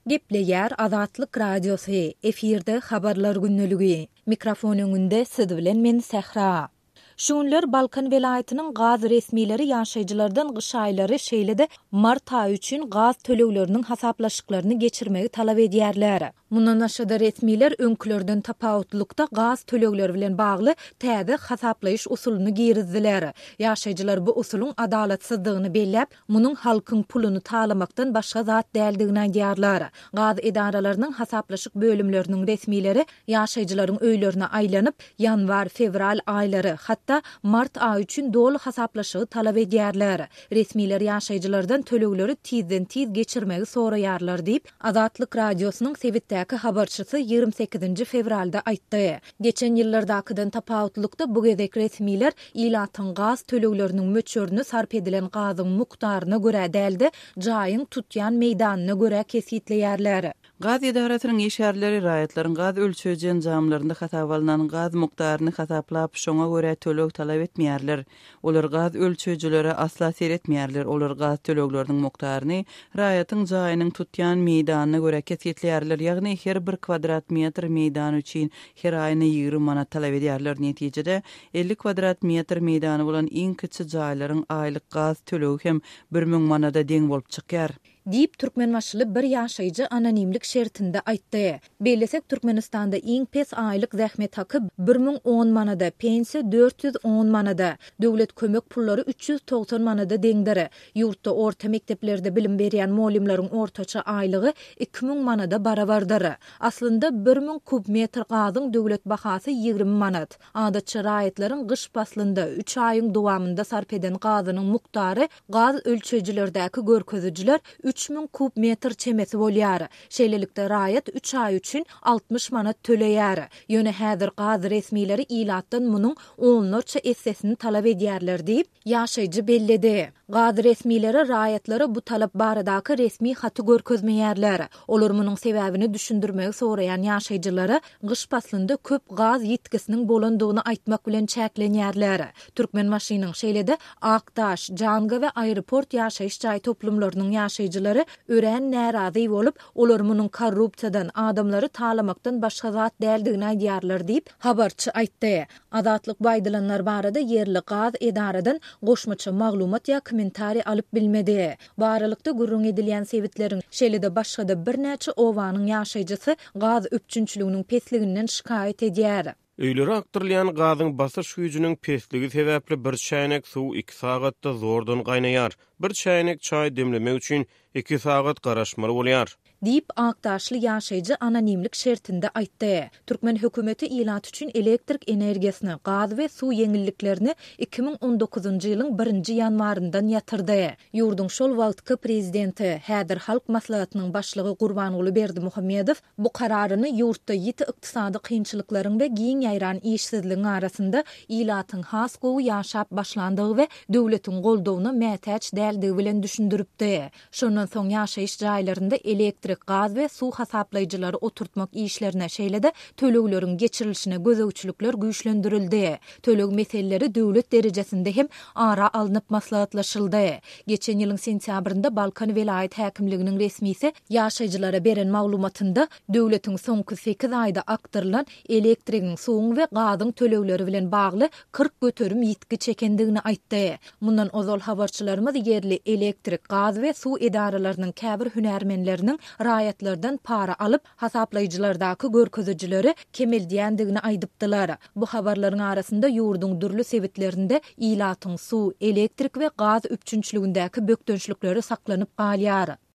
Gepleýär Azatlyk Radiosy, efirde Habarlar gündeligi. Mikrofon öňünde siz bilen men Sähra. Şu günler Balkan welaýatynyň gaz resmileri ýaşaýjylardan gyş aýlary, şeýle-de mart aýy üçin gaz tölegleriniň hasaplaşyklaryny geçirmegi talap edýärler. Mundan başga-da resmiler öňkülerden tapawutlykda gaz tölegleri bilen bagly täze hasaplaýyş usulyny girizdiler. Ýaşaýjylar bu usulyň adalatsyzdygyny belläp, munuň halkyň puluny talamakdan başga zat däldigini aýdýarlar. Gaz edaralarynyň hasaplaşyk bölümleriniň resmileri ýaşaýjylaryň öýlerine aýlanyp, ýanwar, fewral aýlary, hatda mart aýy üçin doly hasaplaşygy talap edýärler. Resmiler ýaşaýjylardan tölegleri tizden-tiz geçirmegi soraýarlar diýip, Azatlyk Radiosynyň sebitdäki habarçysy 28-nji fewralda aýtdy. Geçen ýyllardakydan tapawutlykda bu gezek resmiler ilatyň gaz tölegleriniň möçberini sarp edilen gazyň mukdaryna görä däl-de, jaýyň tutýan meýdanyna görä kesgitleýärler. Gaz edarasynyň işgärleri raýatlaryň gaz ölçeýji enjamlarynda hasaba alnan gaz mukdaryny hasaplap, şoňa görä töleg talap etmeýärler. Olar gaz ölçeýjilere asla seretmeýärler, olar gaz tölegleriniň mukdaryny raýatyň jaýynyň tutýan meýdanyna görä kesgitleýärler, ýagny her bir kwadrat metr meýdan üçin her aýyna 20 manat talap edýärler. Netijede, 50 kwadrat metr meýdany bolan iň kiçi jaýlaryň aýlyk gaz tölegi hem 1000 manada deň bolup çykýar. Diýip, türkmenbaşyly bir ýaşaýjy anonimlik şertinde aýtdy. Bellesek, Türkmenistanda iň pes aýlyk zähmet haky 1010 manada, pensiýa 410 manada, döwlet kömek pullary 390 manada deňdir. Ýurtda orta mekdeplerde bilim berýän mugallymlaryň ortaça aýlygy 2000 manada barabardyr. Aslynda, 1000 kub metr gazyň döwlet bahasy 20 manat. Adatça raýatlaryň gyş paslynda, üç aýyň dowamynda sarp eden gazynyň mukdary Gaz ölçeýjilerdäki görkezijiler 3000 kub metr çemesi bolýar. Şeýlelikde, raýat üç aý üçin 60 manat töleýär. Ýöne häzir gaz resmileri ilatdan munuň onlarça essesini talap edýärler diýip, ýaşaýjy belledi. Gaz resmileri raýatlara bu talap baradaky resmi haty görkezmeýärler. Olar munuň sebäbini düşündirmegi soraýan ýaşaýjylara gyş paslynda köp gaz ýitgisiniň bolandygyny aýtmak bilen çäklenýärler. Türkmenbaşynyň, şeýle-de Akdaş, Janga we Aeroport ýaşaýyş jaý toplumlarynyň ýaşaýjylary örän närazy bolup, olar munuň korrupsiýadan, adamlary talamakdan başga zat däldigini aýdýarlar diýip, habarçy aýtdy. Azatlyk bu aýdylanlar barada ýerli gaz edaradan goşmaça maglumat ýa kommentariý alyp bilmedi. Bu aralykda, gürrüň edilýän sebitleriň, şeýle-de başga-da birnäçe obanyň ýaşaýjysy gaz üpjünçiliginiň pesliginden şikaýat edýär. Öýlere akdyrylýan gazyň basyş güýjüniň pesligi sebäpli bir çäýnek suw iki sagatda zordan gaýnaýar. Bir çäýnek çaý demlemek üçin iki sagat garaşmaly bolýar. Diýip, akdaşly ýaşaýjy anonimlik şertinde aýtdy. Türkmen hökümeti ilat üçin elektrik energiýasyny, gaz we suw ýeňilliklerini 2019-njy ýylyň birinji ýanwaryndan ýatyrdy. Ýurduň şol wagtky prezidenti, häzir Halk Maslahatynyň başlygy Gurbanguly Berdimuhamedow Bu kararyny ýurtda ýiti ykdysady kynçylyklaryň we giň ýaýran işsizligiň arasynda ilatyň has gowy ýaşap başlandygy we döwletiň goldawyna mätäç däldigi bilen düşündiripdi. Şondan soň ýaşaýyş jaýlarynda elektrik, gaz we suw hasaplaýjylary oturtmak işlerine, şeýle-de tölegleriň geçirilişine gözegçilikler güýçlendirildi. Töleg meseleleri döwlet derejesinde hem ara alnyp maslahatlaşyldy. Geçen ýylyň sentýabrynda Balkan welaýat häkimliginiň resmisi ýaşaýjylara beren maglumatynda, döwletiň soňky sekiz aýda akdyrylan elektrigiň, suwuň we gazyň tölegleri bilen bagly 40% ýitgi çekendigini aýtdy. Mundan ozal habarçylarymyz ýerli elektrik, gaz we suw edaralarynyň käbir hünärmenleriniň raýatlardan para alyp, hasaplaýjylardaky görkezijileri kemeldýändigini aýdypdylar. Bu habarlaryň arasynda ýurduň dürli sebitlerinde ilatyň suw, elektrik we gaz üpjünçiligindäki bökdençlikleri saklanyp galýar.